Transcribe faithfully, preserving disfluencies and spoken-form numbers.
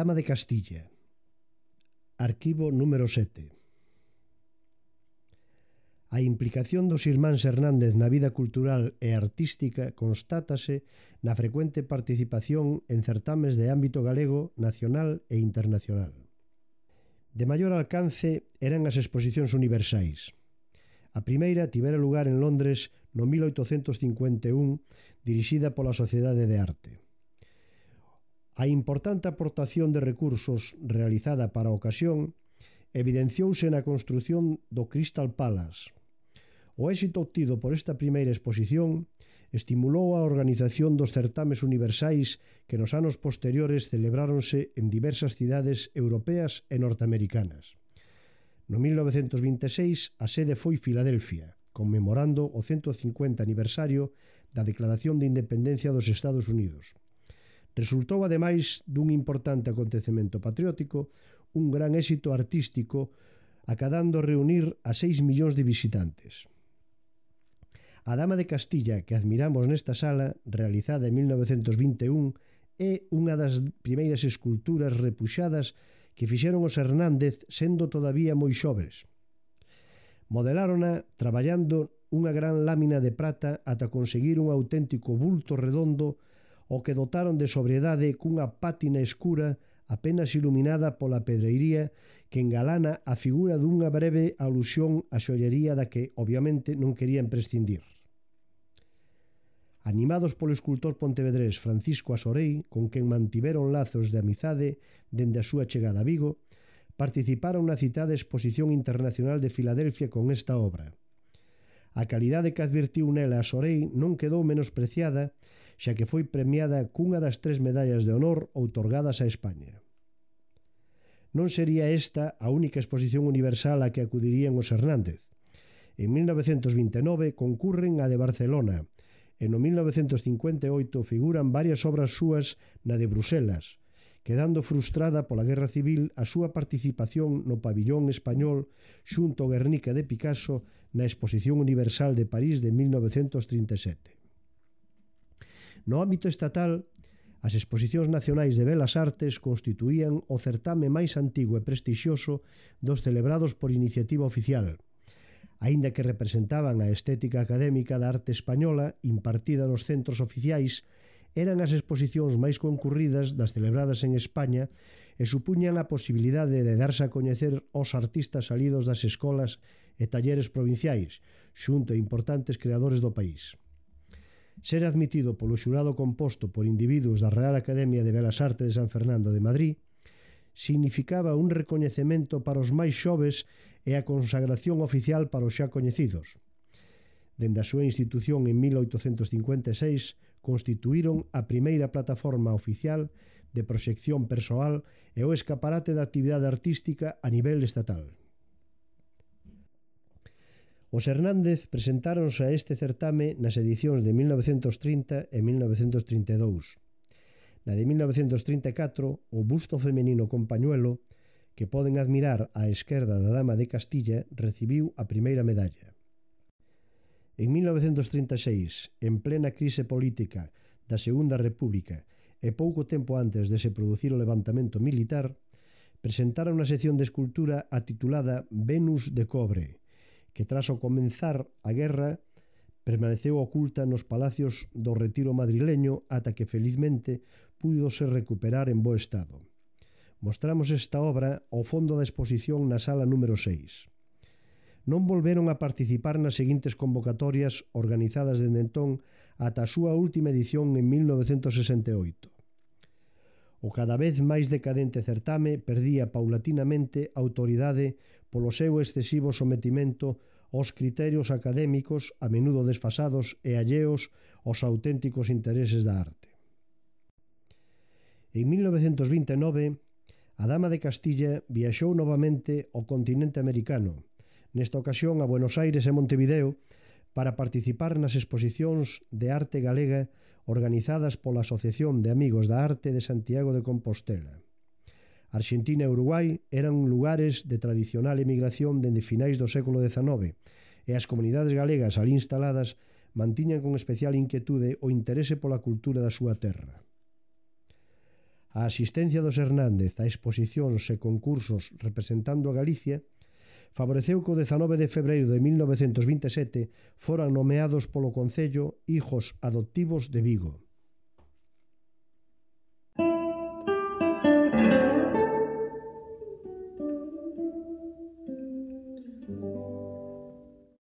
Dama de Castilla. Arquivo número sete. A implicación dos irmáns Hernández na vida cultural e artística constátase na frecuente participación en certames de ámbito galego, nacional e internacional. De maior alcance eran as exposicións universais. A primeira tivera lugar en Londres no mil oitocentos cincuenta e un, dirixida pola Sociedade de Arte. A importante aportación de recursos realizada para a ocasión evidenciouse na construción do Crystal Palace. O éxito obtido por esta primeira exposición estimulou a organización dos certames universais que nos anos posteriores celebráronse en diversas cidades europeas e norteamericanas. No mil novecentos vinte e seis a sede foi Filadelfia, conmemorando o ciento cincuenta aniversario da Declaración de Independencia dos Estados Unidos. Resultou, ademais dun importante acontecemento patriótico, un gran éxito artístico, acadando reunir a seis millóns de visitantes. A Dama de Castilla que admiramos nesta sala, realizada en mil novecentos vinte e un, é unha das primeiras esculturas repuxadas que fixeron os Hernández sendo todavía moi xoves. Modelárona traballando unha gran lámina de prata ata conseguir un auténtico bulto redondo o que dotaron de sobriedade cunha pátina escura apenas iluminada pola pedreiría que engalana a figura dunha breve alusión á xoallería da que, obviamente, non querían prescindir. Animados polo escultor pontevedrés Francisco Asorei, con quen mantiveron lazos de amizade dende a súa chegada a Vigo, participaron na citada Exposición Internacional de Filadelfia con esta obra. A calidade que advirtiu nela Asorei non quedou menospreciada, xa que foi premiada cunha das tres medallas de honor outorgadas a España. Non sería esta a única exposición universal a que acudirían os Hernández. En mil novecentos vinte e nove concurren a de Barcelona e no mil novecentos cincuenta e oito figuran varias obras súas na de Bruselas, quedando frustrada pola Guerra Civil a súa participación no pabillón español xunto ao Guernica de Picasso na Exposición Universal de París de mil novecentos trinta e sete. No ámbito estatal, as exposicións nacionais de Belas Artes constituían o certame máis antigo e prestixioso dos celebrados por iniciativa oficial, aínda que representaban a estética académica da arte española impartida nos centros oficiais. Eran as exposicións máis concurridas das celebradas en España e supuñan a posibilidade de darse a coñecer aos artistas salidos das escolas e talleres provinciais, xunto a importantes creadores do país. Ser admitido polo xurado composto por individuos da Real Academia de Belas Artes de San Fernando de Madrid significaba un recoñecemento para os máis xoves e a consagración oficial para os xa coñecidos. Dende a súa institución en mil oitocentos cincuenta e seis constituíron a primeira plataforma oficial de proxección persoal e o escaparate da actividade artística a nivel estatal. Os Hernández presentáronse a este certame nas edicións de mil novecentos trinta e mil novecentos trinta e dous. Na de mil novecentos trinta e catro, o busto femenino con pañuelo, que poden admirar á esquerda da Dama de Castilla, recibiu a primeira medalla. En mil novecentos trinta e seis, en plena crise política da Segunda República e pouco tempo antes de se producir o levantamento militar, presentaron unha sección de escultura atitulada Venus de Cobre, que tras o comenzar a guerra permaneceu oculta nos palacios do Retiro madrileño ata que felizmente púdose recuperar en bo estado. Mostramos esta obra ao fondo da exposición na sala número seis. Non volveron a participar nas seguintes convocatorias organizadas dende entón ata a súa última edición en mil novecentos sesenta e oito. O cada vez máis decadente certame perdía paulatinamente autoridade polo seu excesivo sometimento aos criterios académicos a menudo desfasados e alleos aos auténticos intereses da arte. En mil novecentos vinte e nove, a Dama de Castilla viaxou novamente ao continente americano, nesta ocasión a Buenos Aires e Montevideo, para participar nas exposicións de arte galega organizadas pola Asociación de Amigos da Arte de Santiago de Compostela. Arxentina e Uruguai eran lugares de tradicional emigración dende finais do século dezanove e as comunidades galegas ali instaladas mantiñan con especial inquietude o interese pola cultura da súa terra. A asistencia dos Hernández a exposicións e concursos representando a Galicia favoreceu que o dezanove de febreiro de mil novecentos vinte e sete foran nomeados polo Concello hijos adoptivos de Vigo.